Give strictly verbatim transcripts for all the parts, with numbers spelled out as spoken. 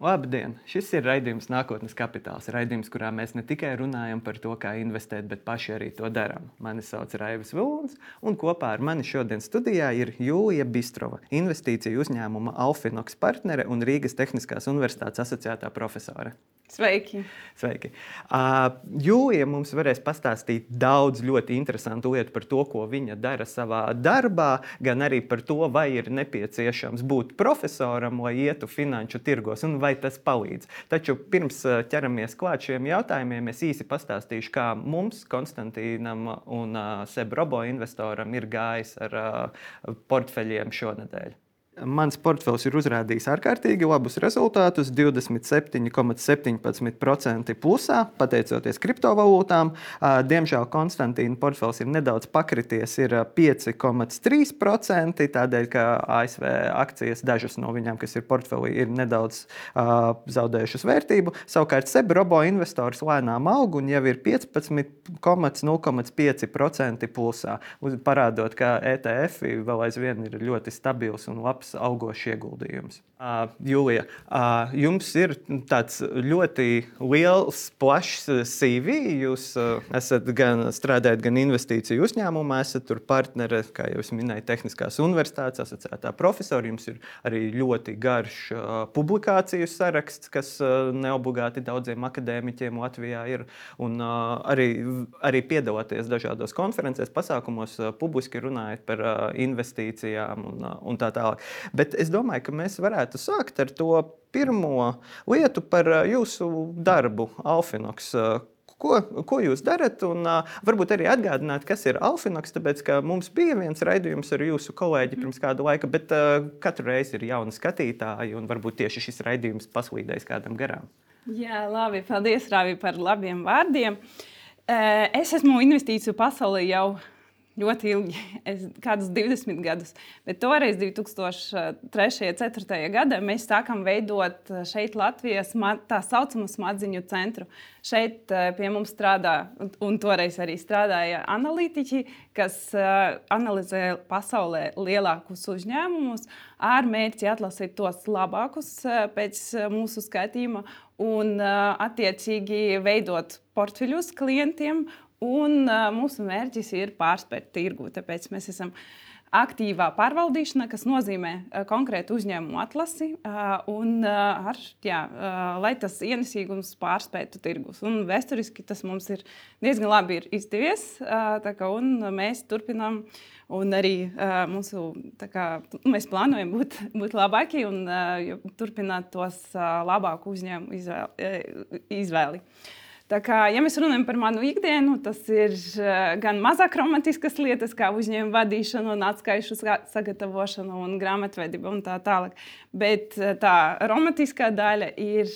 Labdien! Šis ir raidījums Nākotnes kapitāls. Raidījums, kurā mēs ne tikai runājam par to, kā investēt, bet paši arī to darām. Mani sauc Raivis Vilons, un kopā ar mani šodien studijā ir Jūlija Bistrova, investīciju uzņēmuma Alfinox partnere un Rīgas Tehniskās universitātes asociētā profesore. Sveiki! Sveiki. Uh, Jūlija mums varēs pastāstīt daudz ļoti interesantu lietu par to, ko viņa dara savā darbā, gan arī par to, vai ir nepieciešams būt profesoram, lai ietu finanšu tirgos, un vai tas palīdz. Taču pirms ķeramies klāt šiem jautājumiem, es īsi pastāstīšu, kā mums, Konstantīnam un uh, Seb Robo investoram, ir gājis ar uh, portfeļiem šonedēļ. Mans portfels ir uzrādījis ārkārtīgi labus rezultātus, divdesmit septiņi komats septiņpadsmit procenti plusā, pateicoties kriptovalūtām. Diemžēl Konstantīna portfels ir nedaudz pakrities, ir pieci komats trīs procenti, tādēļ, ka A S V akcijas, dažas no viņām, kas ir portfelī, ir nedaudz uh, zaudējušas vērtību. Savukārt Seb Robo investors lēnām aug un jau ir piecpadsmit komats nulle komats pieci procenti plusā, parādot, ka E T F vēl aizvien ir ļoti stabils un labs augošs ieguldījums. Uh, Jūlija, uh, jums ir tāds ļoti liels, plašs C V. Jūs uh, esat gan strādājat gan investīciju uzņēmumā, esat tur partnere, kā jau es minēju, Tehniskās universitātes asociētā profesora. Jums ir arī ļoti garš uh, publikāciju saraksts, kas uh, neobligāti daudziem akadēmiķiem Latvijā ir. Un uh, arī, arī piedalāties dažādos konferencēs, pasākumos, uh, publiski runājat par uh, investīcijām un, uh, un tā tālāk. Bet es domāju, ka mēs varētu sākt ar to pirmo lietu par jūsu darbu, Alfinox. Ko, ko jūs darat? Un uh, varbūt arī atgādināt, kas ir Alfinox, tāpēc, ka mums bija viens raidījums ar jūsu kolēģi pirms kādu laika, bet uh, katru reizi ir jauni skatītāji, un varbūt tieši šis raidījums paslīdēs kādam garām. Jā, labi. Paldies, Rāvi, par labiem vārdiem. Es esmu investīciju pasaulē jau ļoti ilgi, es, kādus divdesmit gadus, bet toreiz divi tūkstoši trešajā, ceturtajā gadā mēs sākam veidot šeit Latvijas tā saucamo smadziņu centru. Šeit pie mums strādā, un toreiz arī strādāja analītiķi, kas analizē pasaulē lielākus uzņēmumus ar mērķi atlasīt tos labākus pēc mūsu skatījuma un attiecīgi veidot portfeļus klientiem. Un uh, mūsu mērķis ir pārspēt tirgu, tāpēc mēs esam aktīvā pārvaldīšana, kas nozīmē uh, konkrētu uzņēmumu atlasi uh, un uh, ar, jā, uh, lai tas ienesīgums pārspētu tirgus. Un vēsturiski tas mums ir diezgan labi ir izdevies, uh, tā kā, un mēs turpinām un arī uh, mūsu, tā kā, mēs plānojam būt, būt labāki un uh, turpināt tos uh, labāku uzņēmumu izvēli. izvēli. Tā kā, ja mēs runājam par manu ikdienu, tas ir gan mazāk romantiskas lietas, kā uzņēmuma vadīšana un atskaišu sagatavošana un grāmatvedība un tā tālāk. Bet tā romantiskā daļa ir,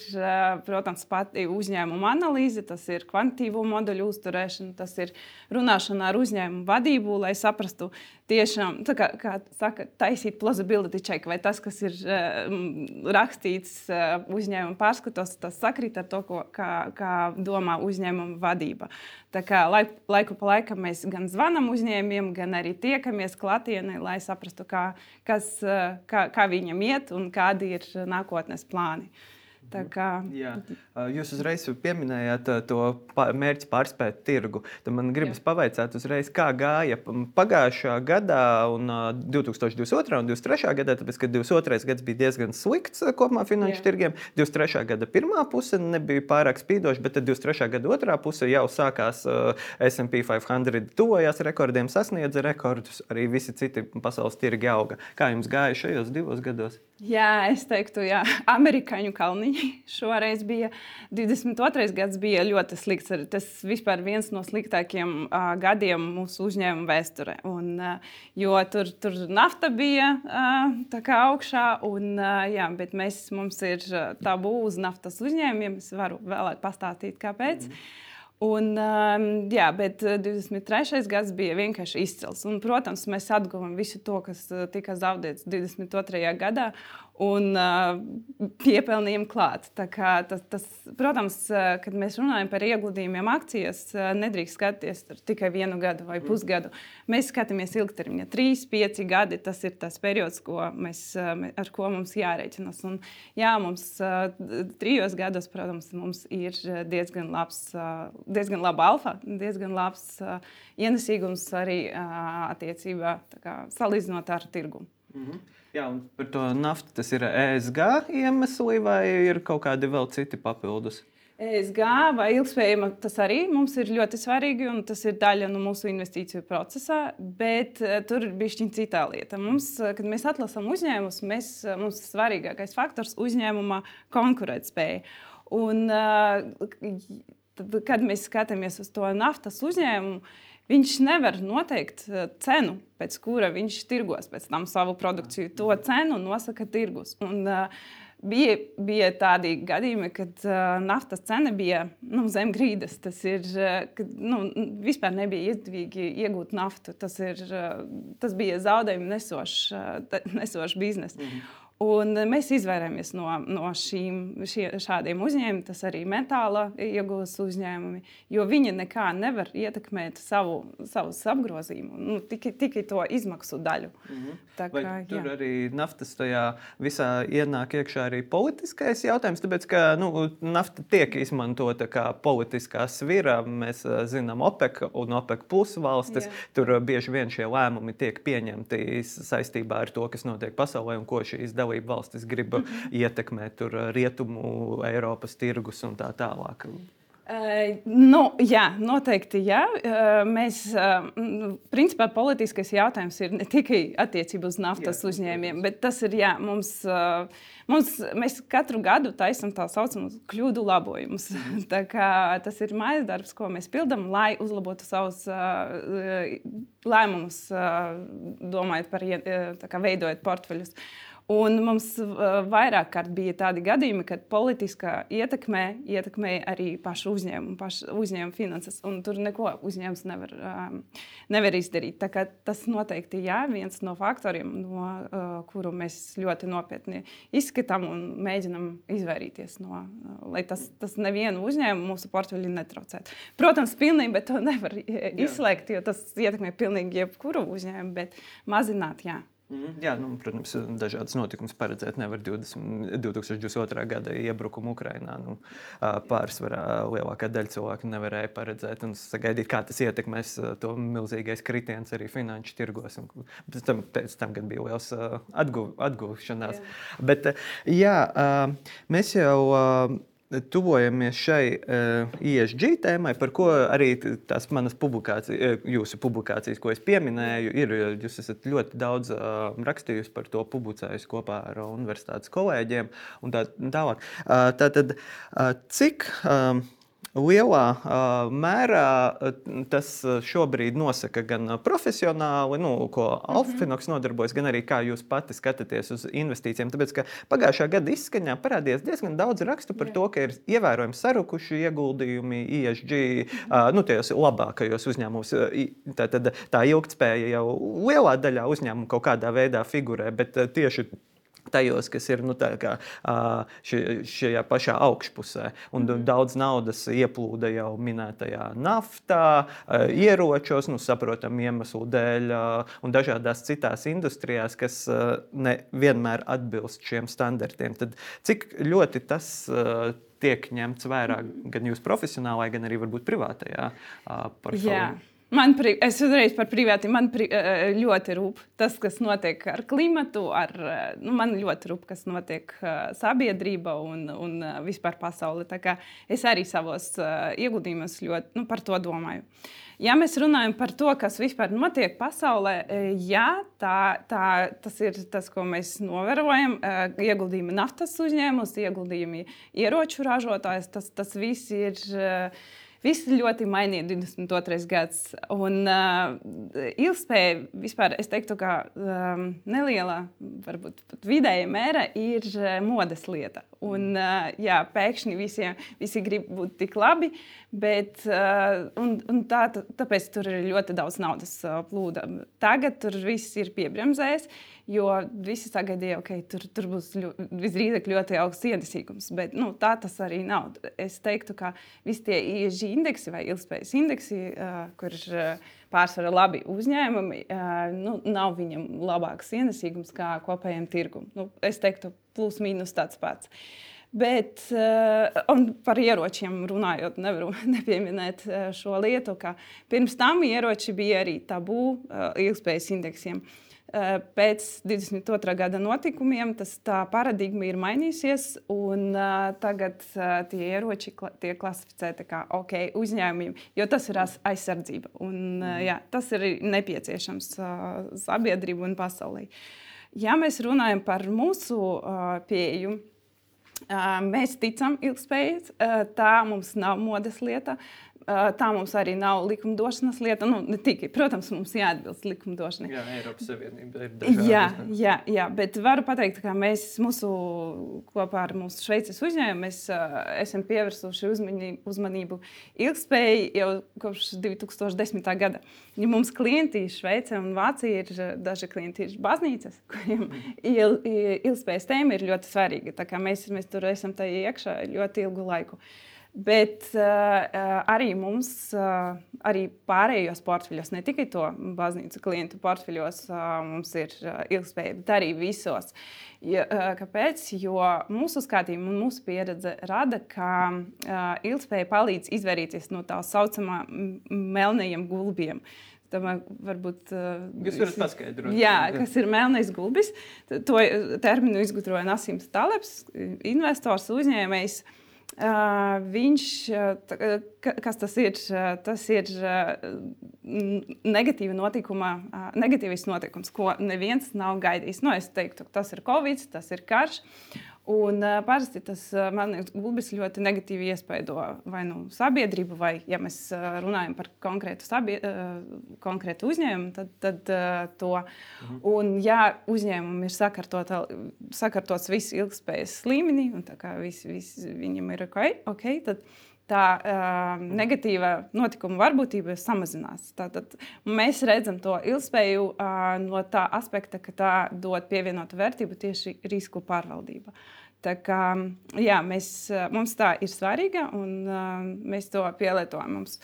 protams, pati uzņēmuma analīze, tas ir kvantitīvo modeļu uzturēšana, tas ir runāšana ar uzņēmumu vadību, lai saprastu tiešām, tā kā, kā saka, taisīt plausibility check, vai tas, kas ir rakstīts uzņēmuma pārskatos, tas sakrīt ar to, ko, kā, kā domā uzņēmuma vadība. Tā kā laik, laiku pa laikam mēs gan zvanam uzņēmiem, gan arī tiekamies klātienē, lai saprastu, kā, kas, kā, kā viņam iet un kādi ir nākotnes plāni. Tā kā... Jā. Jūs uzreiz pieminējāt to mērķi pārspēt tirgu. Tad man gribas Jā. pavaicāt uzreiz, kā gāja pagājušā gadā un divi tūkstoši divdesmit otrā un divdesmit trešā gadā, tāpēc, ka divdesmit otrais gads bija diezgan slikts kopumā finanšu Jā. tirgiem. divdesmit trešā gada pirmā puse nebija pārāk spīdoša, bet tad divdesmit trešā gada otrā puse jau sākās uh, S and P piecsimt, tuvojās rekordiem, sasniedza rekordus, arī visi citi pasaules tirgi auga. Kā jums gāja šajos divos gados? Jā, es teiktu, jā, amerikāņu kalniņi šoreiz bija. divdesmit otrais gads bija ļoti slikts. Tas vispār viens no sliktākiem uh, gadiem mūsu uzņēmuma vēsturē. Un, uh, jo tur, tur nafta bija uh, tā kā augšā, un, uh, jā, bet mēs, mums ir tabū uz naftas uzņēmumiem. Es varu vēlāk pastāstīt, kāpēc. Mm. Un, jā, bet divdesmit trešais gads bija vienkārši izcils. Un, protams, mēs atguvām visu to, kas tika zaudēts divdesmit otrajā gadā. un uh, piepelnījām klāt. Tā kā tas, tas, protams, uh, kad mēs runājam par ieguldījumiem akcijas, uh, nedrīkst skatīties tikai vienu gadu vai pusgadu. Mēs skatāmies ilgtermiņā. Trīs, pieci gadi, tas ir tas periods, ko mēs, uh, ar ko mums jārēķinās. Un, jā, mums uh, trijos gados, protams, mums ir diezgan labs, uh, diezgan laba alfa, diezgan labs uh, ienesīgums arī uh, attiecībā tā kā, salīdzinot ar tirgumu. Mm-hmm. Jā, un par to naftu tas ir E S G iemesli vai ir kaut kādi vēl citi papildus? E S G vai ilgspējama, tas arī mums ir ļoti svarīgi, un tas ir daļa no mūsu investīciju procesā, bet uh, tur ir bišķiņ citā lieta. Mums, kad mēs atlasām uzņēmumus, mēs, mums ir svarīgākais faktors uzņēmuma konkurētspēja. Un, uh, tad, kad mēs skatāmies uz to naftas uzņēmumu, viņš nevar noteikt cenu, pēc kura viņš tirgos pēc tam savu produkciju. To cenu nosaka tirgus. Un, uh, bija, bija tādi gadījumi, kad uh, naftas cena bija nu, zem grīdas. Tas ir, uh, kad nu, vispār nebija izdevīgi iegūt naftu. Tas, ir, uh, tas bija zaudējumu nesošs, uh, nesošs biznes. Mm-hmm. Un mēs izvairāmies no, no šīm, šie, šādiem uzņēmumiem, tas arī metāla iegūs uzņēmumi, jo viņi nekā nevar ietekmēt savu, savus apgrozījumu, nu, tikai, tikai to izmaksu daļu. Mm-hmm. Tā kā, vai tur jā. arī naftas tajā visā ienāk iekšā arī politiskais jautājums, tāpēc, ka nu, nafta tiek izmantota kā politiskā svira. Mēs zinām OPEC un OPEC plus valstis, jā. Tur bieži vien šie lēmumi tiek pieņemti saistībā ar to, kas notiek pasaulē un ko šīs dalība valstis grib mm-hmm. ietekmēt tur rietumu Eiropas tirgus un tā tālāk. Uh, nu, jā, noteikti jā. Uh, mēs, uh, principā, politiskais jautājums ir ne tikai attiecībā uz naftas jā, uzņēmiem, bet tas ir, jā, mums, uh, mums, mēs katru gadu taisam tā saucamus kļūdu labojumus. Mm. Tā kā tas ir mājas darbs, ko mēs pildam, lai uzlabotu savus uh, lēmumus, uh, domājot par, tā kā veidojot portfeļus. Un mums vairāk kārt bija tādi gadījumi, kad politiskā ietekmē ietekmēja arī pašu uzņēmumu, pašu uzņēmumu finanses, un tur neko uzņēmums nevar, um, nevar izdarīt. Tā kā tas noteikti jā, viens no faktoriem, no uh, kuru mēs ļoti nopietni izskatām un mēģinam izvairīties no, uh, lai tas, tas nevienu uzņēmumu mūsu portfeļi netraucētu. Protams, pilnībā to nevar izslēgt, jo tas ietekmē pilnīgi jebkuru uzņēmumu, bet mazināt, jā. Mm, jā, nu, protams, dažādas notikumus paredzēt nevar. divdesmit, divi tūkstoši divdesmit otrā gada iebrukumu Ukrainā. Nu, pārsvarā lielākā daļa cilvēku nevarēja paredzēt un sagaidīt, kā tas ietekmēs to milzīgais kritiens arī finanšu tirgos. Un pēc tam, pēc tam gan bija liels atguv, atgūšanās. Jā. Bet jā, mēs jau tuvojamies šai uh, E S G tēmai, par ko arī tās manas publikācijas, jūsu publikācijas, ko es pieminēju, ir. Jūs esat ļoti daudz uh, rakstījusi par to, publicējusi kopā ar universitātes kolēģiem un tā tālāk. Uh, tātad, uh, cik uh, lielā uh, mērā uh, tas šobrīd nosaka gan profesionāli, nu, ko Alfinoks nodarbojas, gan arī kā jūs pati skatāties uz investīcijiem. Tāpēc, ka pagājušā gada izskaņā parādījās diezgan daudz rakstu par Jā. To, ka ir ievērojami sarukuši ieguldījumi E S G, uh, nu, tajos labākajos uzņēmumos. Tā, tad, tā ilgtspēja jau lielā daļā uzņēmumu kaut kādā veidā figurē, bet uh, tieši tajos, kas ir nu, tā kā, ši, šajā pašā augšpusē. Un mm-hmm. daudz naudas ieplūda jau minētajā naftā, ieročos, nu, saprotam iemeslu dēļ, un dažādās citās industrijās, kas ne vienmēr atbilst šiem standartiem. Tad cik ļoti tas tiek ņemts vērā gan jūs profesionālai, gan arī varbūt privātajā portfolio? Man, pri, es uzreiz par privāti, man pri, ļoti rūp tas, kas notiek ar klimatu, ar, nu, man ļoti rūp, kas notiek sabiedrība un, un vispār pasauli. Tā kā es arī savos ieguldījumos ļoti nu, par to domāju. Ja mēs runājam par to, kas vispār notiek pasaulē, jā, tā, tā, tas ir tas, ko mēs novērojam. Ieguldījumi naftas uzņēmumos, ieguldījumi ieroču ražotājs, tas, tas viss ir viss ļoti mainīja divdesmit otrais gads. Un uh, ilgspēja vispār, es teiktu, ka um, neliela, varbūt pat vidēja mēra ir uh, modes lieta. Un, uh, jā, pēkšņi visiem, visi grib būt tik labi, bet uh, un, un tā, tāpēc tur ir ļoti daudz naudas uh, plūda. Tagad tur viss ir piebremzējis, jo visi sagaidīja, ka okay, tur, tur būs ļo, visdrīzāk ļoti augsts ienesīgums. Bet nu, tā tas arī nav. Es teiktu, ka visi tie I S G indeksi vai ilgspējas indeksi, uh, kur ir uh, pārsvarā labi uzņēmumi, uh, nu, nav viņam labāks ienesīgums kā kopējiem tirgum. Nu, es teiktu, plus mīnus tāds pats. Bet uh, par ieročiem runājot, nevaru nepieminēt uh, šo lietu, ka pirms tam ieroči bija arī tabū uh, ilgspējas indeksiem. Uh, pēc divdesmit otrā gada notikumiem tas tā paradigma ir mainījusies, un uh, tagad uh, tie ieroči kla tiek klasificēti kā OK uzņēmumiem, jo tas ir aizsardzība. Un, uh, jā, tas ir nepieciešams uh, sabiedrību un pasaulē. Ja mēs runājam par mūsu uh, pieeju, uh, mēs ticam ilgspējai, uh, tā mums nav modes lieta. Tā mums arī nav likumdošanas lieta. Nu, ne tikai, protams, mums jāatbilst likumdošanai. Jā, Eiropas Savienība ir dažādas. Jā, jā, jā, bet varu pateikt, ka mēs mūsu, kopā ar mūsu Šveices uzņēmumu mēs uh, esam pievērsuši uzmanību, uzmanību ilgspējai jau kopš divi tūkstoši desmitā gada. Ja mums klienti Šveice un Vācija ir, daži klienti ir baznīcas, kuriem il, ilgspējas tēma ir ļoti svarīga. Tā kā mēs, mēs tur esam tā iekšā ļoti ilgu laiku. Bet uh, arī mums, uh, arī pārējos portfeļos, ne tikai to baznīcu klientu portfeļos, uh, mums ir uh, ilgspēja, bet arī visos. Ja, uh, kāpēc? Jo mūsu skatījumi un mūsu pieredze rada, ka uh, ilgspēja palīdz izvairīties no tā saucamā melnajiem gulbiem. Tamā, varbūt, uh, Jūs varat paskaidrot. Jā, kas ir melnais gulbis. To terminu izgudroja Nasims Talebs, investors, uzņēmējs. Uh, viņš, uh, kas tas ir? Uh, tas ir uh, negatīva notikuma, uh, negatīvs notikums, ko neviens nav gaidījis. Nu, es teiktu, tas ir Covid, tas ir karš. Un uh, parasti tas uh, melnais gulbis ļoti negatīvi iespaido vai nu sabiedrību, vai, ja mēs uh, runājam par konkrētu, sabie, uh, konkrētu uzņēmumu, tad, tad uh, to. Mhm. Un ja uzņēmumi ir sakārtots viss ilgspējas līmenī, un tā kā vis, vis, viņam ir ok, okay tad tā uh, negatīva notikuma varbūtība samazinās. Tātad mēs redzam to ilgspēju uh, no tā aspekta, ka tā dod pievienotu vērtību tieši risku pārvaldība. Tā kā, jā, mēs, mums tā ir svarīga, un uh, mēs to pielietojam. Mums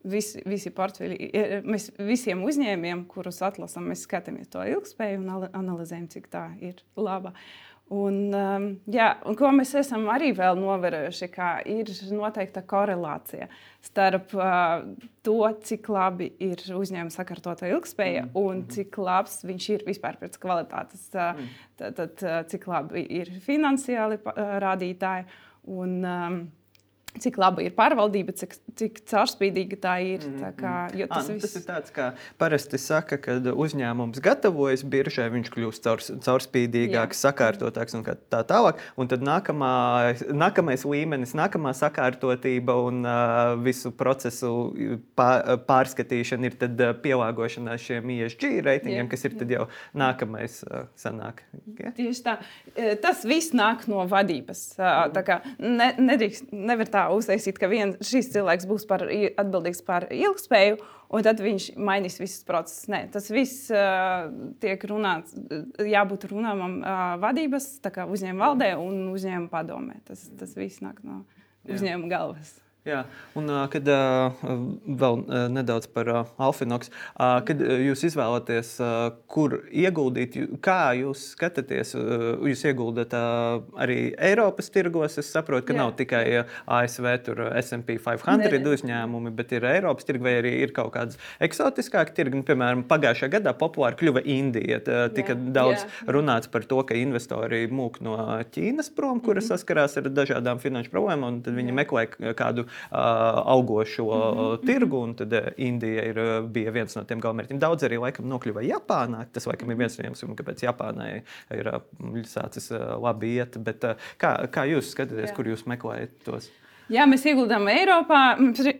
visi, visi portfeļi, mēs visiem uzņēmiem, kurus atlasam, mēs skatāmies to ilgspēju un analizējam, cik tā ir laba. Un, um, jā, un ko mēs esam arī vēl novērojuši, ka ir noteikta korelācija starp uh, to, cik labi ir uzņēmuma sakārtota ilgspēja mm. un cik labs viņš ir vispār pēc kvalitātes. Uh, mm. tad, tad, uh, cik labi ir finansiāli uh, rādītāji un um, cik laba ir pārvaldība, cik, cik caurspīdīga tā ir. Tā kā, jo tas, à, viss... tas ir tāds, kā parasti saka, kad uzņēmums gatavojas biržai, viņš kļūst caurs, caurspīdīgāks, Jā. sakārtotāks un tā tālāk. Un tad nākamā, nākamais līmenis, nākamā sakārtotība un uh, visu procesu pārskatīšana ir tad uh, pielāgošanās šiem I S G reitingiem, Jā. kas ir tad jau nākamais uh, sanāk. Ja? Tieši tā. Tas viss nāk no vadības. Tā kā ne, nedrīkst, nevar tā uztaisīt, ka vien, šis cilvēks būs par, atbildīgs par ilgspēju, un tad viņš mainīs visus procesus. Nē, tas viss uh, tiek runāts, jābūt runāmam uh, vadības, tā kā uzņēmuma valdē un uzņēmuma padomē. Tas, tas viss nāk no uzņēmuma galvas. Jā, un kad vēl nedaudz par Alfinox, kad jūs izvēlaties, kur ieguldīt, kā jūs skatāties, jūs ieguldat arī Eiropas tirgos, es saprotu, ka Jā. nav tikai A S V tur S and P piecsimt uzņēmumi, bet ir Eiropas tirgi vai arī ir kaut kādas eksotiskāki tirgi, nu, piemēram, pagājušajā gadā populāri kļuva Indija, tika Jā. daudz Jā. runāts par to, ka investori mūk no Ķīnas prom, kuras mm-hmm. saskarās ar dažādām finanšu problēmām, un tad viņi Jā. meklē kādu augošo mm-hmm. tirgu, un tad Indija ir, bija viens no tiem galvenmērķiem. Daudz arī laikam nokļuva Japānā. Tas laikam ir viens no iemesliem, kāpēc Japānai ir sācis labi iet. Bet kā, kā jūs skatāties, Jā. kur jūs meklējat tos? Jā, mēs ieguldām Eiropā.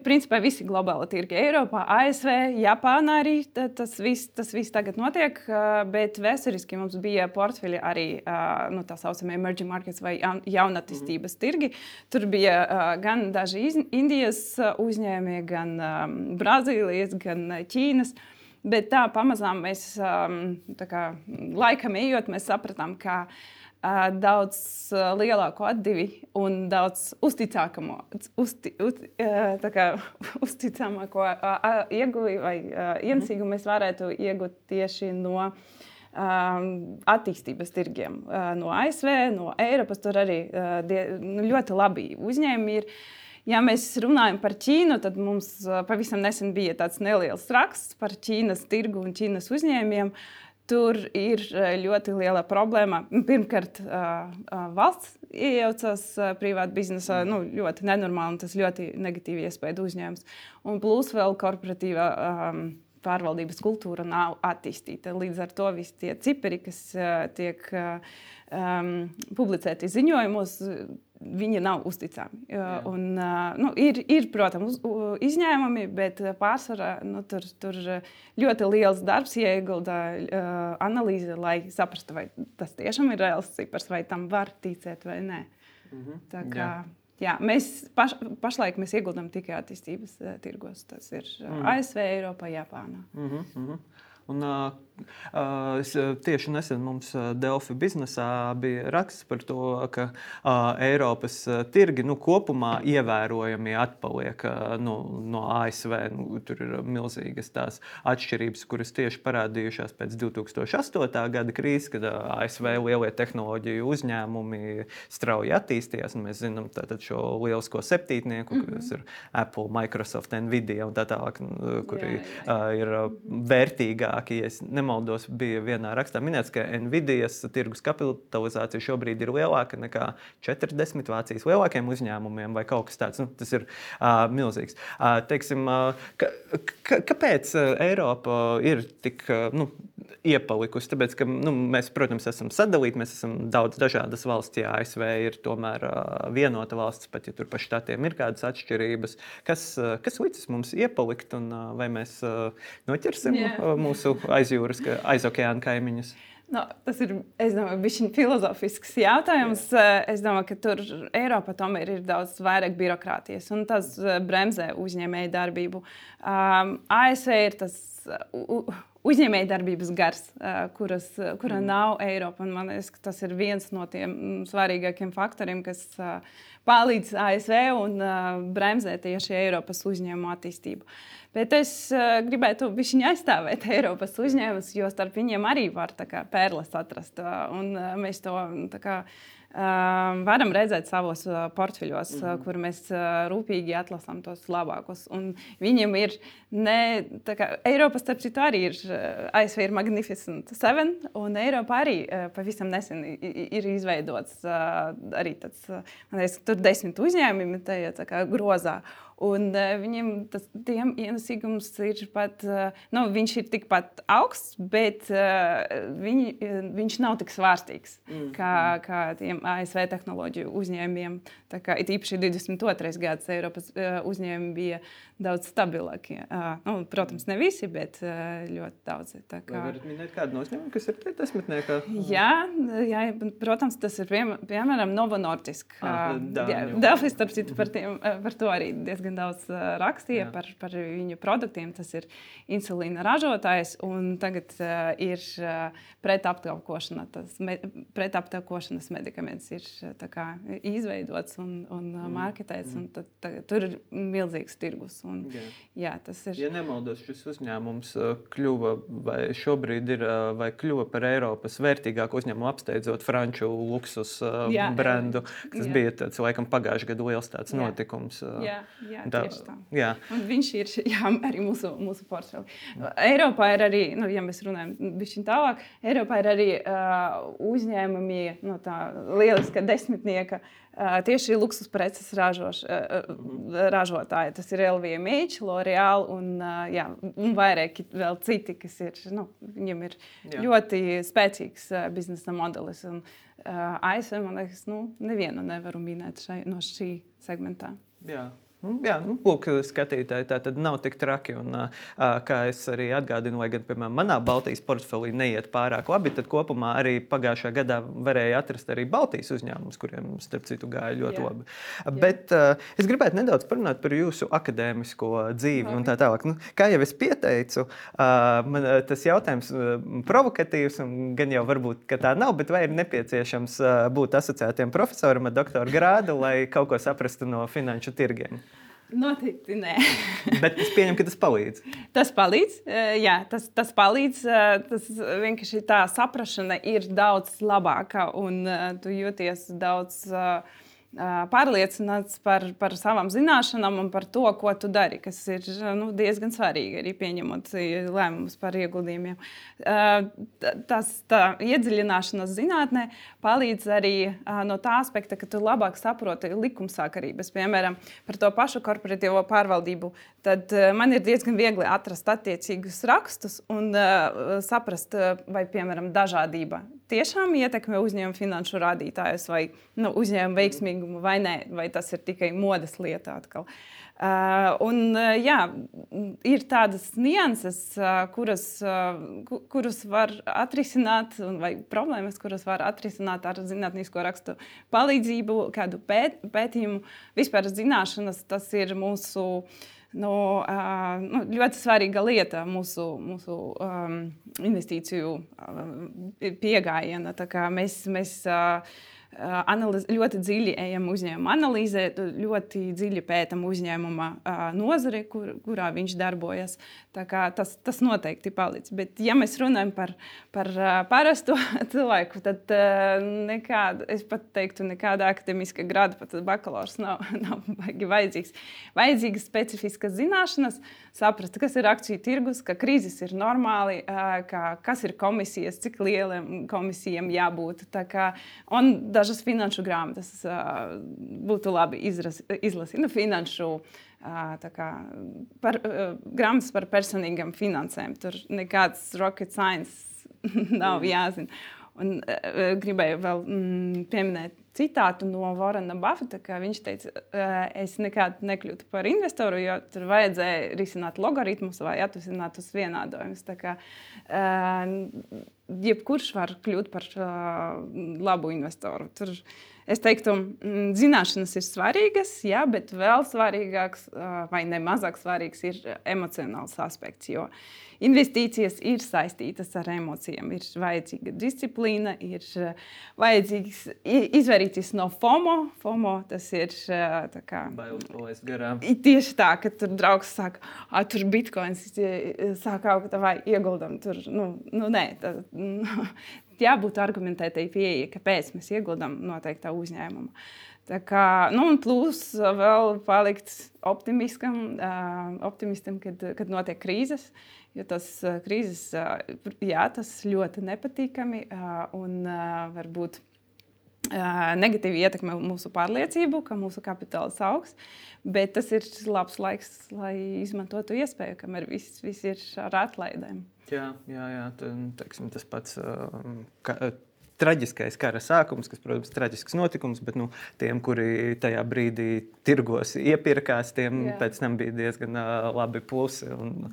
Principā visi globāli tirgi Eiropā, A S V, Japānā arī tas viss, tas viss tagad notiek. Bet vēsturiski mums bija portfeļi arī nu, tā saucamie emerging markets vai jaunatīstības tirgi. Tur bija gan daži Indijas uzņēmumi, gan Brazīlijas, gan Ķīnas. Bet tā pamazām mēs, tā kā, laikam ejot, mēs sapratām, ka uh, daudz uh, lielāku atdevi un daudz uzticāmāko, uzti, uz, uh, tā kā, uzticāmāko uh, ieguvi vai uh, ienesīgumu mēs varētu iegūt tieši no um, attīstības tirgiem. Uh, no A S V, no Eiropas, tur arī uh, die, ļoti labi uzņēmumi ir. Ja mēs runājam par Ķīnu, tad mums pavisam nesen bija tāds neliels raksts par Ķīnas tirgu un Ķīnas uzņēmumiem. Tur ir ļoti liela problēma. Pirmkārt, valsts iejaucas privāta biznesā, nu, ļoti nenormāli, un tas ļoti negatīvi iespaido uzņēmums. Un plus vēl korporatīva um, pārvaldības kultūra nav attīstīta. Līdz ar to visi tie cipari, kas uh, tiek um, publicēti ziņojumos, viņi nav uzticami. Jā. Un, nu, ir, ir, protams, izņēmumi, bet pārsvarā nu, tur, tur ļoti liels darbs ieguldā uh, analīze, lai saprastu, vai tas tiešām ir reāls cipars, vai tam var ticēt vai nē. Mhm. Tā kā, jā. Jā, mēs paš, pašlaik mēs ieguldam tikai attīstības uh, tirgos. Tas ir uh, mhm. A S V, Eiropā, Japānā. Mhm. Mhm. Un, uh, uh, tieši nesen mums uh, Delfi biznesā bija raksts par to, ka uh, Eiropas uh, tirgi nu, kopumā ievērojami atpaliek uh, no, no A S V. Nu, tur ir milzīgas tās atšķirības, kuras tieši parādījušās pēc divi tūkstoši astotā gada krīzes, kad uh, A S V lielie tehnoloģiju uzņēmumi strauji attīstījās. Mēs zinām tātad šo lielisko septītnieku, mm-hmm. kas ir Apple, Microsoft, Nvidia un tā tālāk, kuri jā, jā. Uh, ir uh, vērtīgāki. Ja es nemaldos, bija vienā rakstā minēts, ka Nvidias tirgus kapitalizācija šobrīd ir lielāka nekā četrdesmit Vācijas lielākiem uzņēmumiem vai kaut kas tāds. Nu, tas ir uh, milzīgs. Uh, teiksim, uh, ka, ka, kāpēc Eiropa ir tik uh, nu, iepalikusi? Tāpēc, ka nu, mēs, protams, esam sadalīti, mēs esam daudz dažādas valsts, ja A S V ir tomēr uh, vienota valsts, pat ja tur pa štatiem ir kādas atšķirības. Kas, uh, kas licis mums iepalikt un uh, vai mēs uh, noķersim yeah. uh, mūsu aizjūras, aizokeāna kaimiņus? No, tas ir, es domāju, bišķiņ filozofisks jautājums. Jā. Es domāju, ka tur Eiropā tomēr ir daudz vairāk birokrātijas, un tas bremzē uzņēmēju darbību. Um, A S V ir tas uh, uzņēmēju darbības gars, uh, kuras, kura mm. nav Eiropa, un man liekas, ka tas ir viens no tiem svarīgākiem faktoriem, kas uh, palīdz A S V un uh, bremzē tieši Eiropas uzņēmumu attīstību. Bet es uh, gribētu bišķiņ aizstāvēt Eiropas uzņēmumus, jo starp viņiem arī var tā kā pērles atrast. Uh, un uh, mēs to tā kā, uh, varam redzēt savos uh, portfeļos, mm-hmm. uh, kur mēs uh, rūpīgi atlasām tos labākos. Un viņiem ir ne, tā kā Eiropas, starp citu, arī ir, uh, A S V ir Magnificent Seven, un Eiropa arī uh, pavisam nesen ir izveidots uh, arī tāds, uh, man liekas, tur desmit uzņēmumi tajā tā kā grozā. Un uh, viņiem tas tiem ienesīgums ir pat, uh, nu, viņš ir tikpat augsts, bet uh, viņi, viņš nav tik svārstīgs mm. kā, kā tiem A S V tehnoloģiju uzņēmumiem. Tā kā it īpaši divdesmit otrais gads Eiropas uh, uzņēmumi bija daudz stabilākie. Uh, nu, protams, ne visi, bet uh, ļoti daudzi. Tā kā... Vai varat minēt kādu no uzņēmumu, kas ir tie desmitniekā? Jā, jā, protams, tas ir piem, piemēram Novo Nordisk. Ah, uh, Delfi, starp citu, par, tiem, par to arī diezgan daudz uh, rakstīja par, par viņu produktiem. Tas ir insulīna ražotājs, un tagad uh, ir uh, pretaptaukošana. Tas me, pretaptaukošanas medikaments ir tā kā izveidots un, un uh, marketēts, mm. un tad, tad, tur ir milzīgs tirgus. Un, jā. Jā, tas ir... Ja nemaldos, šis uzņēmums kļuva vai šobrīd ir vai kļuva par Eiropas vērtīgāku uzņēmumu apsteidzot franču luksus jā, brendu. Tas jā. bija tāds, laikam, pagājušajā gadu liels tāds jā. notikums. Jā, jā tā, tieši tā. Jā. Un viņš ir jā, arī mūsu, mūsu portfeli. Eiropā ir arī, nu, ja mēs runājam bišķiņ tālāk, Eiropā ir arī uh, uzņēmumi, no tā lieliska desmitnieka, Uh, tieši luksus preces ražoš, uh, ražotāji. Tas ir L V M H, L'Oreal un, uh, jā, un vairāki vēl citi, kas ir, nu, viņiem ir jā. ļoti spēcīgs uh, biznesa modelis. Un, uh, A S V, man liekas, nu, nevienu nevaru minēt šai, no šī segmentā. Jā. Jā, nu, lūk, skatītāji, tā tad nav tik traki. Un, kā es arī atgādinu, lai gan, piemēram, manā Baltijas portfelī neiet pārāk labi, tad kopumā arī pagājušā gadā varēja atrast arī Baltijas uzņēmumus, kuriem, starp citu, gāja ļoti Jā. labi. Jā. Bet uh, es gribētu nedaudz parunāt par jūsu akadēmisko dzīvi Labi. un tā tālāk. Nu, kā jau es pieteicu, uh, man tas jautājums uh, provokatīvs, un gan jau varbūt, ka tā nav, bet vai ir nepieciešams uh, būt asociētiem profesoram ar doktora grādu, lai kaut ko saprastu no finanšu tirgiem? Noteikti nē. Bet es pieņemu, ka tas palīdz. Tas palīdz, jā, tas, tas palīdz. Tas vienkārši tā saprašana ir daudz labāka un tu jūties daudz pārliecināts par, par savām zināšanām un par to, ko tu dari, kas ir nu, diezgan svarīgi arī pieņemot lēmumus par ieguldījumiem. Tas tā iedziļināšanās zinātnē palīdz arī no tā aspekta, ka tu labāk saproti likumsakarības, piemēram, par to pašu korporatīvo pārvaldību. Tad man ir diezgan viegli atrast attiecīgus rakstus un saprast, vai, piemēram, dažādība tiešām ietekmē uzņēmuma finanšu rādītājus vai nu, uzņēmuma veiksmīgumu vai nē, vai tas ir tikai modes lieta atkal. Uh, un, uh, jā, ir tādas nianses, uh, kuras, uh, kuras var atrisināt, vai problēmas, kuras var atrisināt ar zinātnisko rakstu palīdzību, kādu pēt, pētījumu. Vispār zināšanas, tas ir mūsu nu, uh, nu, ļoti svarīga lieta mūsu, mūsu um, investīciju uh, piegājiena. Tā kā mēs, mēs uh, Analiz, ļoti dziļi ejam uzņēmuma analīzē, ļoti dziļi pētam uzņēmuma uh, nozari, kur, kurā viņš darbojas. Tā kā tas, tas noteikti palīdz. Bet, ja mēs runājam par, par uh, parasto cilvēku, tad uh, nekāda, es pat teiktu, nekāda akademiska grada, pat bakalaurs nav, nav vajadzīgs. Vajadzīgas specifiskas zināšanas, saprast, kas ir akciju tirgus, ka krīzes ir normāli, uh, ka, kas ir komisijas, cik lieliem komisijiem jābūt. Tā kā, un dažas finanšu grāmatas uh, būtu labi izras, izlasīt. Nu, finanšu uh, kā, par, uh, grāmatas par personīgām finansēm. Tur nekāds rocket science nav jāzina. Un uh, gribēju vēl mm, pieminēt citātu no Warrena Buffeta, ka viņš teica, uh, es nekad nekļūtu par investoru, jo tur vajadzēja risināt logaritmus vai atvesināt uz vienādojumus. Tā kā uh, jebkurš var kļūt par uh, labu investoru. Tur, es teiktu, zināšanas ir svarīgas, jā, bet vēl svarīgāks uh, vai nemazāk svarīgs ir emocionāls aspekts, jo investīcijas ir saistītas ar emocijām. Ir vajadzīga disciplīna, ir vajadzīgs izvairīties no FOMO. FOMO tas ir tā kā... Bailes palaist garām. Tieši tā, ka tur draugs saka, tur bitcoins sāk augt, vai ieguldam tur. Nu, nu nē, tā, nu, jābūt argumentētai pieeja, kāpēc mēs ieguldam noteiktā uzņēmumā. Tā kā, nu, un plus vēl palikt optimistam, optimistam kad, kad notiek krīzes. Jo tas krīzes, jā, tas ļoti nepatīkami un varbūt negatīvi ietekmē mūsu pārliecību, ka mūsu kapitāls augs, bet tas ir labs laiks, lai izmantotu iespēju, kamēr viss, viss ir ar atlaidēm. Jā, jā, jā tā, teiksim, tas pats ka, traģiskais kara sākums, kas, protams, ir traģisks notikums, bet nu, tiem, kuri tajā brīdī tirgos iepirkās, tiem Jā. pēc tam bija diezgan uh, labi plusi un,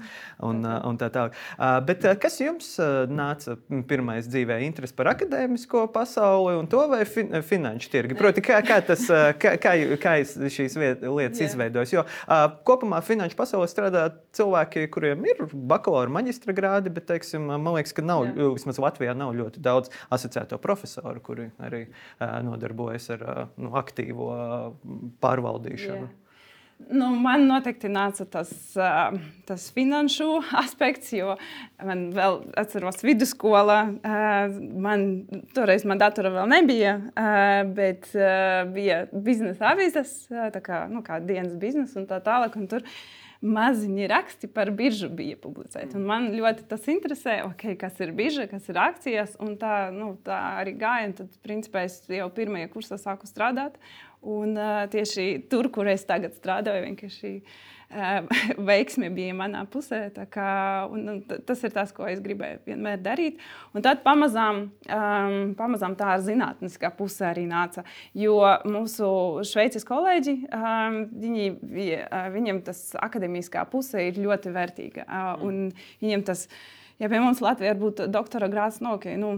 un, uh, un tā tālāk. Uh, bet uh, kas jums uh, nāca pirmais dzīvē interesi par akadēmisko pasauli un to vai fin finanšu tirgi? Proti, kā, kā, tas, uh, kā, kā, kā šīs lietas izveidojas? Jo uh, kopumā finanšu pasaulē strādā cilvēki, kuriem ir bakalaura maģistra grādi, bet, teiksim, man liekas, ka nav, Jā. vismaz Latvijā nav ļoti daudz asociētu profesoru, kuri arī uh, nodarbojas ar uh, nu, aktīvo uh, pārvaldīšanu. Yeah. Nu, man noteikti nāca tas, uh, tas finanšu aspekts, jo man vēl atceros vidusskola. Uh, man, toreiz man datora vēl nebija, uh, bet uh, bija biznesa avīzes, uh, tā kā, nu, kā dienas biznesa un tā tālāk. Un tur maziņi raksti par biržu bija publicēti. Un man ļoti tas interesē, okay, kas ir birža, kas ir akcijas. Un tā, nu, tā arī gāja. Un tad, principā, es jau pirmajā kursā sāku strādāt. Un uh, tieši tur, kur es tagad strādāju, vienkārši uh, veiksme bija manā pusē. Kā, un, un tas ir tas, ko es gribēju vienmēr darīt. Un tad pamazām, um, pamazām tā ar zinātniskā pusē arī nāca. Jo mūsu šveices kolēģi, um, viņi, uh, viņiem tas akadēmiskā puse ir ļoti vērtīga. Uh, un viņiem tas Ja pie mums Latvijā būtu doktora grāds, no, okay, nu,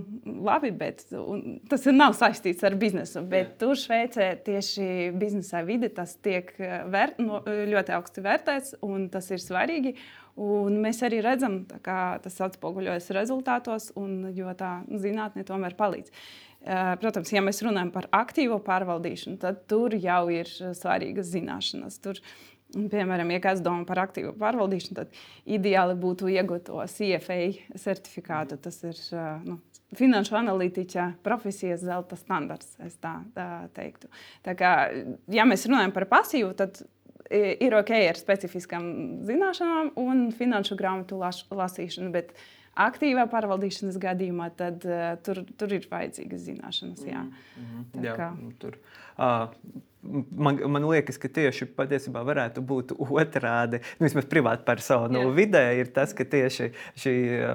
labi, bet tas nav saistīts ar biznesu. Bet tur Šveicē tieši biznesā vide tas tiek vērt, no, ļoti augsti vērtēts, un tas ir svarīgi. Un mēs arī redzam, ka tas atspoguļojas rezultātos, un, jo tā zinātne tomēr palīdz. Protams, ja mēs runājam par aktīvo pārvaldīšanu, tad tur jau ir svarīgas zināšanas. Tur, Piemēram, ja kāds domā par aktīvu pārvaldīšanu, tad ideāli būtu iegūt to C F A certifikātu. Tas ir nu, finanšu analītiķa profesijas zelta standarts, es tā, tā teiktu. Tā kā, ja mēs runājam par pasīvu, tad ir ok ar specifiskām zināšanām un finanšu grāmatu las, lasīšanu, bet aktīvā pārvaldīšanas gadījumā tad uh, tur, tur ir vajadzīgas zināšanas. Jā. Mm-hmm. Jā, tur. Uh, Man, man liekas, ka tieši patiesībā varētu būt otrādi. Nu, vismaz privāta personu yeah. vidē ir tas, ka tieši šī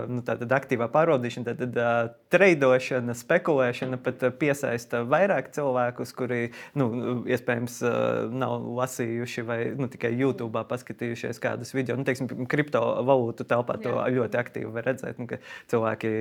nu, aktīvā pārvaldīšana, tātad uh, treidošana, spekulēšana pat piesaista vairāk cilvēkus, kuri nu, iespējams uh, nav lasījuši vai nu, tikai YouTube paskatījušies kādus video. Nu, teiksim, kriptovalūtu telpā to yeah. ļoti aktīvi var redzēt, nu, ka cilvēki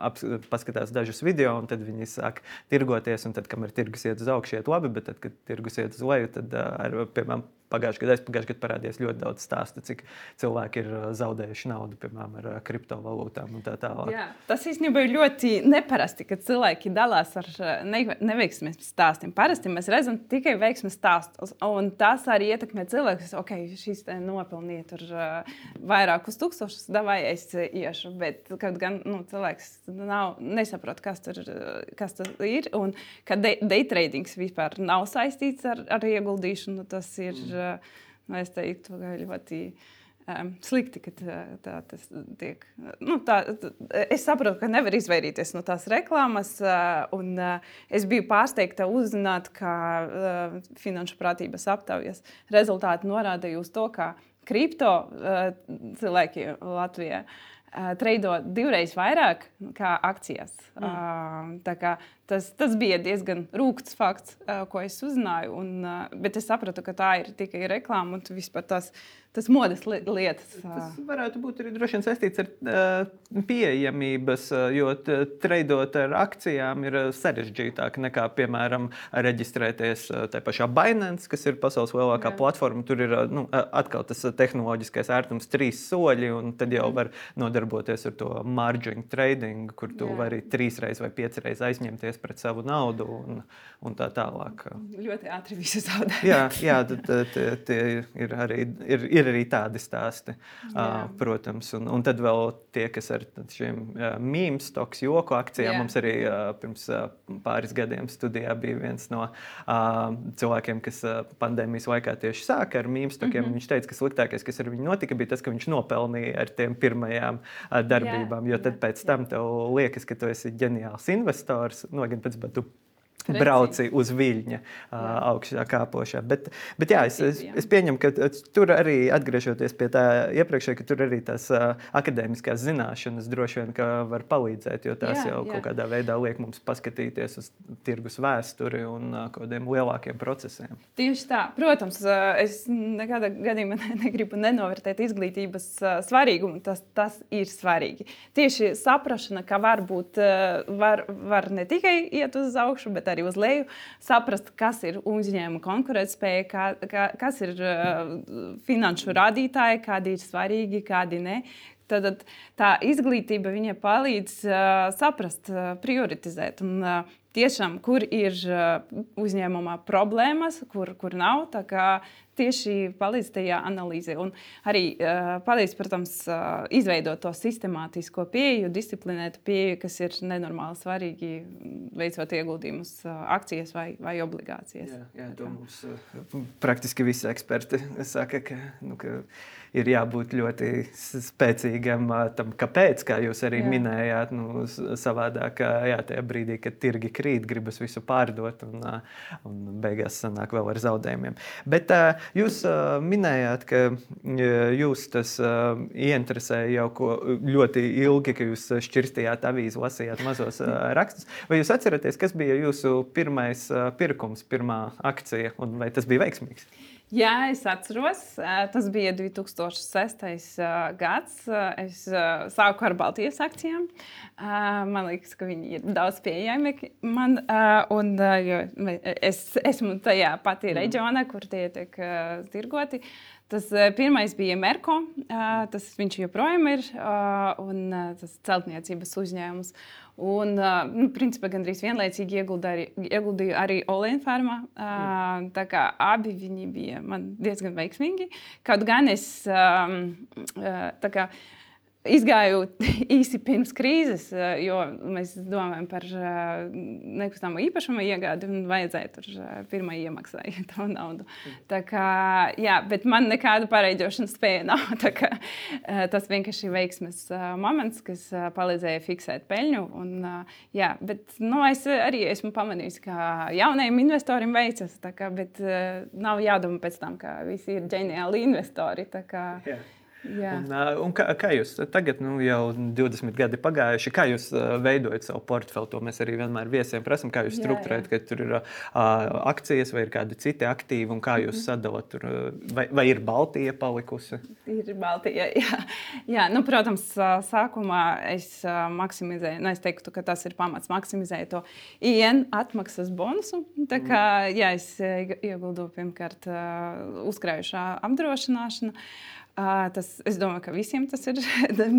ap, paskatās dažus video un tad viņi sāk tirgoties un tad, kamēr tirgus iet uz augšu, iet labi, bet tad, kad tirgus iet uz leju, tad ar, piemēram, pagājušajā gadā, pagājušajā gadā parādījās ļoti daudz stāstu, cik cilvēki ir zaudējuši naudu, piemēram, ar kriptovalūtām un tā tālāk. Jā, tas īstenībā ir ļoti neparasti, kad cilvēki dalās ar ne, neveiksmes stāstiem. Parasti mēs redzam tikai veiksmes stāstus, un tas arī ietekmē cilvēkus. Ok, šis te nopelnīja tur vairākus tūkstošus, davai es iešu, bet kad gan nu, cilvēks nav, nesaprot, kas tur kas tas ir, un kad day, day tradings vispār nav saistīts ar, ar ieguldīšanu, tas ir mm. Nu, es teiktu, ļoti um, slikti, ka tā, tā tas tiek. Nu, tā, tā, es saprotu, ka nevar izvairīties no tās reklāmas, uh, un uh, es biju pārsteigta uzzināt, ka uh, Finanšu prātības aptaujas rezultāti norādīja uz to, ka kripto uh, cilvēki Latvijā uh, treido divreiz vairāk kā akcijas. Mm. Uh, tā kā Tas, tas bija diezgan rūkts fakts, uh, ko es uzzināju, un, uh, bet es sapratu, ka tā ir tikai reklāma un vispār tās, tas modes li lietas. Uh. Tas varētu būt arī droši vien saistīts ar uh, pieejamības, uh, jo treidot ar akcijām ir sarežģītāk nekā, piemēram, reģistrēties uh, tajā pašā Binance, kas ir pasaules lielākā Jā. platforma. Tur ir uh, nu, atkal tas tehnoloģiskais ērtums trīs soļi, un tad jau var nodarboties ar to margin trading, kur tu Jā. vari trīsreiz vai piecreiz aizņemties pret savu naudu un, un tā tālāk. Ļoti ātri visu zaudēt. jā, jā tie, tie ir, arī, ir, ir arī tādi stāsti, uh, protams. Un, un tad vēl tie, kas ar šiem uh, meme stocks, joku akcijām, jā. mums arī uh, pirms uh, pāris gadiem studijā bija viens no uh, cilvēkiem, kas uh, pandēmijas laikā tieši sāka ar meme stockiem. Mm-hmm. Viņš teica, ka sliktākais, kas ar viņu notika, bija tas, ka viņš nopelnīja ar tiem pirmajām uh, darbībām, jā, jo tad jā, pēc tam tev liekas, ka tu esi ģeniāls investors, no gan pēc batu brauci uz viļņa uh, augšā kāpošā. Bet, bet jā, es, es, es pieņemu, ka tur arī, atgriežoties pie tā iepriekšēji, ka tur arī tās uh, akadēmiskās zināšanas droši vien, ka var palīdzēt, jo tās jā, jau jā. kaut kādā veidā liek mums paskatīties uz tirgus vēsturi un uh, kādiem lielākiem procesiem. Tieši tā. Protams, es nekādā gadījumā negribu nenovērtēt izglītības uh, svarīgumu. Tas, tas ir svarīgi. Tieši saprašana, ka varbūt uh, var, var ne tikai iet uz augšu, bet arī uz leju, saprast, kas ir uzņēmuma konkurētspēja, kā, kā, kas ir uh, finanšu rādītāji, kādi ir svarīgi, kādi ne. Tad tā izglītība viņa palīdz uh, saprast, uh, prioritizēt un uh, tiešām, kur ir uh, uzņēmumā problēmas, kur, kur nav. Tā kā tieši palīdz tajā analīzē un arī uh, palīdz, protams, uh, izveidot to sistemātisko pieeju, disciplinētu pieeju, kas ir nenormāli svarīgi veicot ieguldījumus uh, akcijas vai, vai obligācijas. Jā, jā, to mums uh, praktiski visi eksperti saka, ka, nu, ka ir jābūt ļoti spēcīgam tam, kāpēc, kā jūs arī jā. minējāt, nu, savādāk, jā, tajā brīdī, kad tirgi krīt, gribas visu pārdot un, un beigās sanāk vēl ar zaudējumiem. Bet jūs minējāt, ka jūs tas ieinteresēja jau ko ļoti ilgi, ka jūs šķirstījāt avīzi, lasījāt mazos rakstus. Vai jūs atceraties, kas bija jūsu pirmais pirkums, pirmā akcija, un vai tas bija veiksmīgs? Jā, es atceros. Tas bija divi tūkstoši sestais gads. Es sāku ar Baltijas akcijām. Man liekas, ka viņi ir daudz pieejami man. Un, es esmu tajā patī reģionā, kur tie tiek tirgoti. Tas pirmais bija Merko. Tas viņš joprojām ir. Un tas celtniecības uzņēmums. Un, nu, principā, gandrīz vienlaicīgi ieguldīju arī Olenfarmā. Mm. Tā kā abi viņi bija man diezgan veiksmīgi. Kaut gan es tā kā izgāju īsi pirms krīzes, jo mēs domājam par nekustamo īpašumu iegādi un vajadzēja tur pirmā iemaksāja to naudu. Tā kā, jā, bet man nekāda pareiģošanas spēja nav. Tā kā, tas vienkārši veiksmes moments, kas palīdzēja fiksēt peļņu. Un, jā, bet nu, es arī esmu pamanījis, ka jaunajiem investoriem veicas, tā kā, bet nav jādomā pēc tam, ka visi ir ģeniāli investori. Tā kā, jā. Un, un kā, kā jūs tagad, nu, jau divdesmit gadi pagājuši, kā jūs veidojat savu portfeli? To mēs arī vienmēr viesiem prasam, kā jūs strukturējat, ka tur ir uh, akcijas vai ir kādi citi aktīvi un kā jūs sadalat tur, vai, vai ir Baltija palikusi? Ir Baltija, jā. jā nu, protams, sākumā es maksimizēju, nu, es teiktu, ka tas ir pamats, maksimizēju to I N atmaksas bonusu. Tā kā, jā, es ieguldu pirmkārt uzkrājušā apdrošināšana. Uh, tas, es domāju, ka visiem tas ir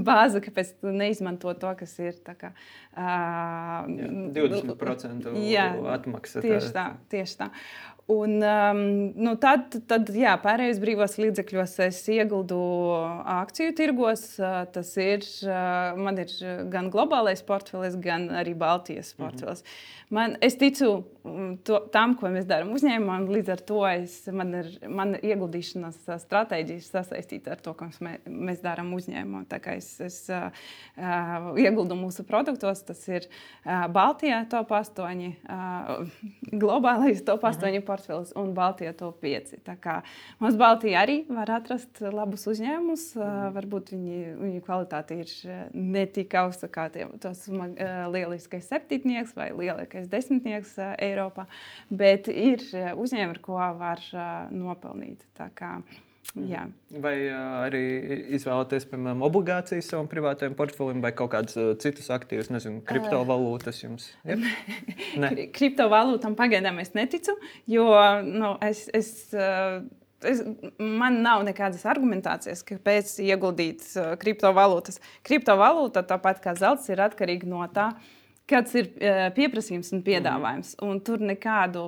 bāze, kāpēc tu neizmanto to, kas ir tā kā... Uh, jā, divdesmit procenti jā, atmaksa. Tieši tā, tieši tā. Un um, nu tad, tad jā, pārējos brīvos līdzekļos es ieguldu akciju tirgos. Tas ir, man ir gan globālais portfelis, gan arī Baltijas portfelis. Mm-hmm. Man, es ticu to, tam, ko mēs darām uzņēmumā, un līdz ar to es, man ir man ieguldīšanas stratēģija sasaistīta ar to, ko mēs, mēs darām uzņēmumā. Tā kā es, es uh, ieguldu mūsu produktos, tas ir uh, Baltijā top astoņi, uh, globālais top astoņi mm-hmm. portfelis un Baltijā top pieci. Tā kā mums Baltijā arī var atrast labus uzņēmumus. Mm. Varbūt viņi, viņu kvalitāte ir ne tik augsta kā tie, tos uh, lieliskais septītnieks vai lielākais desmitnieks uh, Eiropā, bet ir uh, uzņēmumi, ar ko var uh, nopelnīt. Tā kā, jā. Vai uh, arī izvēlaties, piemēram, obligācijas savam privātajam portfelim vai kaut kādus uh, citus aktīvus, nezinu, kriptovalūtas jums? Yep. Kriptovalūtam pagaidām es neticu, jo nu, es, es, uh, es, man nav nekādas argumentācijas, kāpēc ieguldīt uh, kriptovalūtas. Kriptovalūta, tāpat kā zelts, ir atkarīga no tā, kāds ir pieprasījums un piedāvājums. Un tur nekādu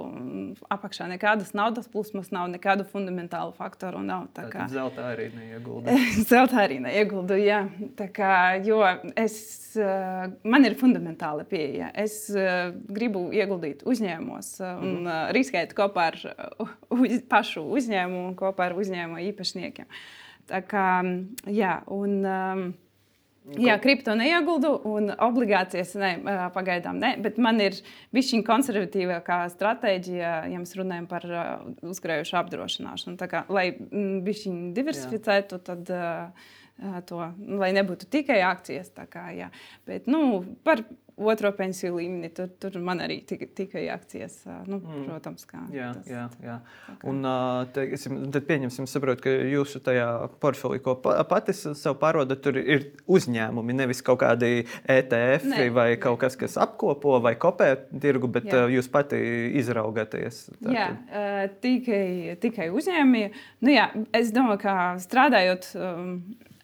apakšā, nekādas naudas plūsmas nav, nekādu fundamentālu faktoru nav. Tā kā zeltā arī neieguldu. zeltā arī neieguldu, jā. Tā kā, jo es, man ir fundamentāla pieeja. Es gribu ieguldīt uzņēmumos un mm-hmm. riskēt kopā ar uz, pašu uzņēmumu un kopā ar uzņēmumu īpašniekiem. Tā kā, jā, un... Um, Jā, kripto neieguldu un obligācijas ne, pagaidām ne, bet man ir bišķiņ konservatīvākā stratēģija, ja mēs runājam par uzkrājušu apdrošināšanu. Tā kā, lai bišķiņ diversificētu, tad to, lai nebūtu tikai akcijas. Tā kā, jā. Bet, nu, par otro pensiju līmeni, tur, tur man arī tika, tikai akcijas, nu, mm. protams, kā. Jā, tas, jā, jā. Un te, tad pieņemsim, saprotu, ka jūsu tajā portfelī, ko pati sev pārvaldat, tur ir uzņēmumi, nevis kaut kādi E T F ne, vai ne. Kaut kas, kas apkopo vai kopē tirgu, bet jā. Jūs pati izraugaties. Tātad. Jā, tikai, tikai uzņēmumi. Nu jā, es domāju, ka strādājot um,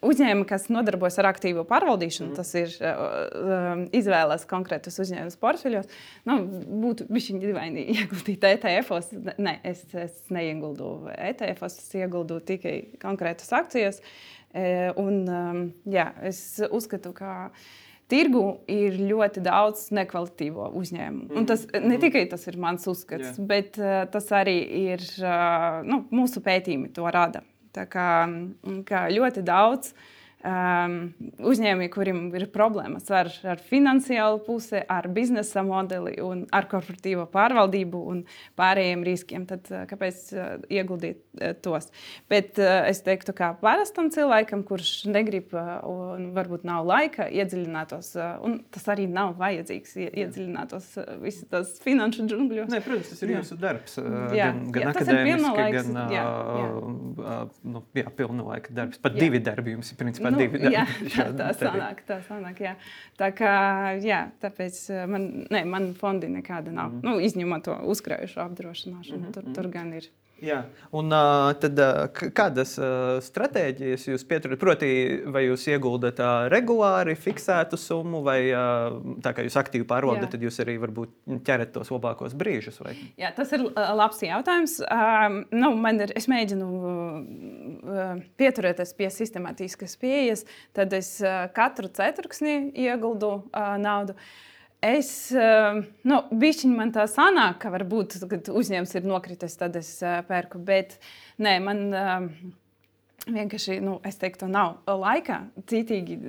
uzņēmumi, kas nodarbojas ar aktīvo pārvaldīšanu, mm. tas ir uh, izvēlēs konkrētus uzņēmumus portfeļos, nu, būtu bišķiņ dīvaini ieguldīt E T F-os. Nē, es, es neieguldu E T F-os, es ieguldu tikai konkrētas akcijas. Un, um, jā, es uzskatu, ka tirgu ir ļoti daudz nekvalitīvo uzņēmumu. Mm. Un tas ne tikai tas ir mans uzskats, yeah. bet uh, tas arī ir uh, nu, mūsu pētījumi to rada. Tā kā, kā ļoti daudz um, uzņēmumi, kuriem ir problēmas ar, ar finansiālu pusi, ar biznesa modeli un ar korporatīvo pārvaldību un pārējiem riskiem, tad kāpēc uh, ieguldīt uh, tos? Bet uh, es teiktu, kā parastam cilvēkam, kurš negrib uh, un varbūt nav laika iedziļinātos, uh, un tas arī nav vajadzīgs iedziļinātos uh, visu tās finanšu džungļos. Nē, protams, tas ir jā. jūsu darbs. Uh, jā, gan gan jā, akadēmiski, gan uh, jā, jā. Uh, nu, jā, pilnlaika darbs. Pat jā. divi darbi jums ir principā nu, divi darbi. Jā, tā, tā sanāk, tā sanāk, jā. Tā kā, jā, tāpēc man, ne, man fondi nekāda nav. Mm. Nu, izņemot to uzkrājušo apdrošināšanu, mm -hmm. tur, tur gan ir. Jā, un uh, tad uh, kādas uh, stratēģijas jūs pieturat? Proti, vai jūs ieguldat uh, regulāri fiksētu summu, vai uh, tā kā jūs aktīvi pārvaldat, tad jūs arī varbūt ķerat tos labākos brīžus? Vai? Jā, tas ir uh, labs jautājums. Uh, nu, man ir, es mēģinu uh, pieturēties pie sistemātiskas pieejas, tad es uh, katru ceturksni ieguldu uh, naudu. Es, nu, bišķiņ man tā sanāk, ka varbūt, kad uzņēmums ir nokritis, tad es pērku, bet nē, man vienkārši, nu, es teiktu, nav laika citīgi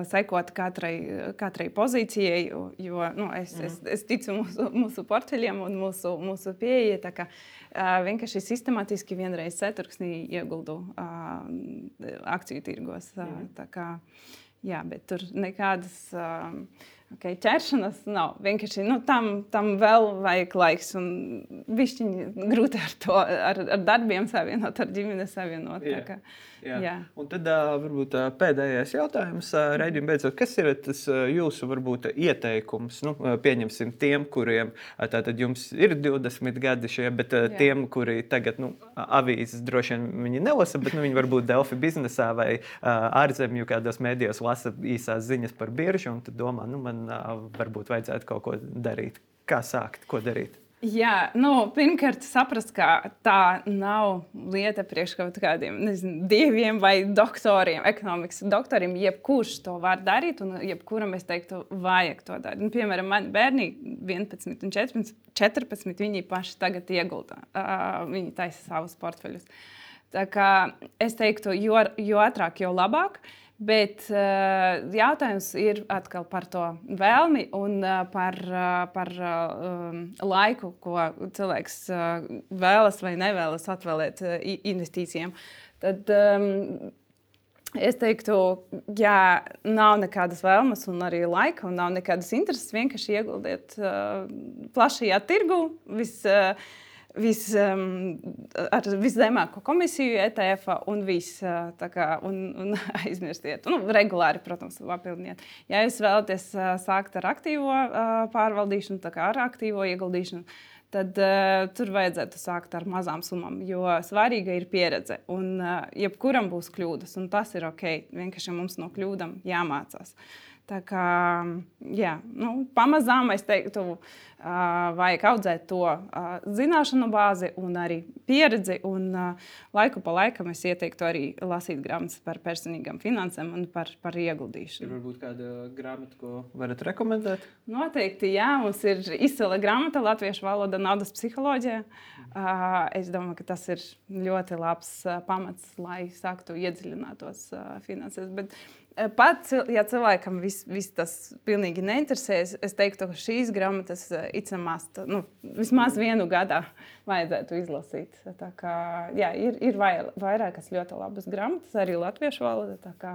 sekot katrai, katrai pozīcijai, jo, nu, es, mm. es, es ticu mūsu, mūsu portfeļiem un mūsu, mūsu pieeja, tā kā vienkārši sistemātiski vienreiz ceturksnī ieguldu akciju tirgos, mm. tā kā, jā, bet tur nekādas Okay, ķeršanas nav. Vienkārši nu, tam, tam vēl vajag laiks. Un bišķiņi grūti ar to, ar, ar darbiem savienot, ar ģimeni savienot. Jā, ka, jā. Jā. Un tad uh, varbūt uh, pēdējais jautājums, uh, Reidijam, beidzot, kas ir tas uh, jūsu varbūt ieteikums? Nu, uh, pieņemsim tiem, kuriem uh, tātad jums ir divdesmit gadi šie, bet uh, tiem, kuri tagad nu, avīzes droši vien viņi nelasa, bet nu, viņi varbūt Delfi biznesā vai uh, ārzemju kādos mēdījos lasa īsās ziņas par biržu un tad domā, nu man varbūt vajadzētu kaut ko darīt. Kā sākt? Ko darīt? Jā, nu, pirmkārt saprast, ka tā nav lieta priekš kaut kādiem nezinu, dieviem vai doktoriem, ekonomikas doktoriem. Jebkurš to var darīt un jebkuram, es teiktu, vajag to darīt. Nu, piemēram, mani bērni vienpadsmit un četrpadsmit, viņi paši tagad iegulda. Uh, viņi taisa savus portfeļus. Tā kā es teiktu, jo, jo ātrāk, jo labāk. Bet uh, jautājums ir atkal par to vēlmi un uh, par, uh, par uh, laiku, ko cilvēks uh, vēlas vai nevēlas atvēlēt uh, investīcijām. Tad um, es teiktu, ja nav nekādas vēlmes un arī laika un nav nekādas intereses, vienkārši ieguldiet uh, plašajā tirgu. Vis, uh, Vis, um, ar viszemāko komisiju E T F un viss tā kā un, un aizmirstiet. Nu, regulāri, protams, papildiniet. Ja jūs vēlaties uh, sākt ar aktīvo uh, pārvaldīšanu, tā kā ar aktīvo ieguldīšanu, tad uh, tur vajadzētu sākt ar mazām summām, jo svarīga ir pieredze. Un uh, jebkuram būs kļūdas, un tas ir ok. Vienkārši mums no kļūdām jāmācās. Tā kā, jā, nu, pamazām es teiktu, uh, vajag audzēt to uh, zināšanu bāzi un arī pieredzi. Un uh, laiku pa laikam es ieteiktu arī lasīt grāmatas par personīgām finansēm un par, par ieguldīšanu. Ir varbūt kāda grāmata, ko varat rekomendēt? Noteikti, jā. Mums ir izcila grāmata Latviešu valoda naudas psiholoģija. Uh, es domāju, ka tas ir ļoti labs uh, pamats, lai sāktu iedziļinātos uh, finansēs. Bet pat, ja cilvēkam viss vis tas pilnīgi neinteresēs, es teiktu, ka šīs grāmatas must, nu, vismaz vienu gadā vajadzētu izlasīt. Tā kā, jā, ir, ir vairākas ļoti labas grāmatas, arī latviešu valoda. Tā kā...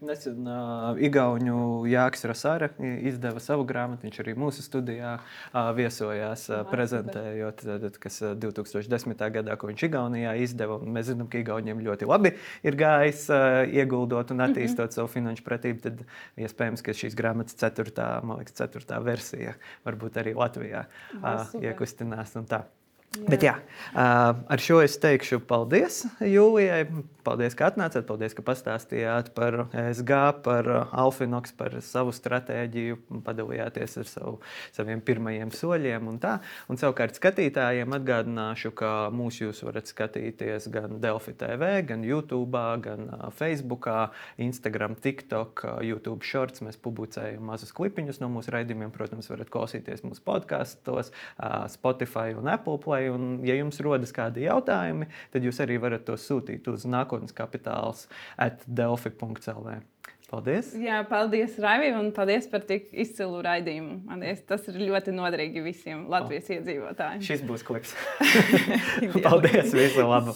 Nesen uh, Igauņu Jāks Rasāra izdeva savu grāmatu, viņš arī mūsu studijā uh, viesojās, uh, prezentējot, tad, kas divi tūkstoši desmitā gadā, ko viņš Igaunijā izdeva. Un mēs zinām, ka Igauņiem ļoti labi ir gājis uh, ieguldot un attīstot mm-hmm. savu finanšu pratību, tad iespējams, ka šīs grāmatas ceturtā, man liekas, ceturtā versija varbūt arī Latvijā uh, iekustinās un tā. Jā. Bet jā, ar šo es teikšu paldies Jūlijai. Paldies, ka atnācāt, paldies, ka pastāstījāt par E S G, par Alfinox, par savu stratēģiju, padalījāties ar savu, saviem pirmajiem soļiem un tā. Un savukārt skatītājiem atgādināšu, ka mūs jūs varat skatīties gan Delfi T V, gan YouTube, gan Facebookā, Instagram, TikTok, YouTube Shorts. Mēs publicējam mazus klipiņus no mūsu raidījumiem. Protams, varat klausīties mūsu podkastos, Spotify un Apple Play. Un, ja jums rodas kādi jautājumi, tad jūs arī varat tos sūtīt uz nākotnes kapitāls at delfi punkts l v. Paldies! Jā, paldies, Raivi, un paldies par tik izcilu raidījumu. Paldies, tas ir ļoti noderīgi visiem Latvijas oh. iedzīvotājiem. Šis būs klips. Paldies, visu labu!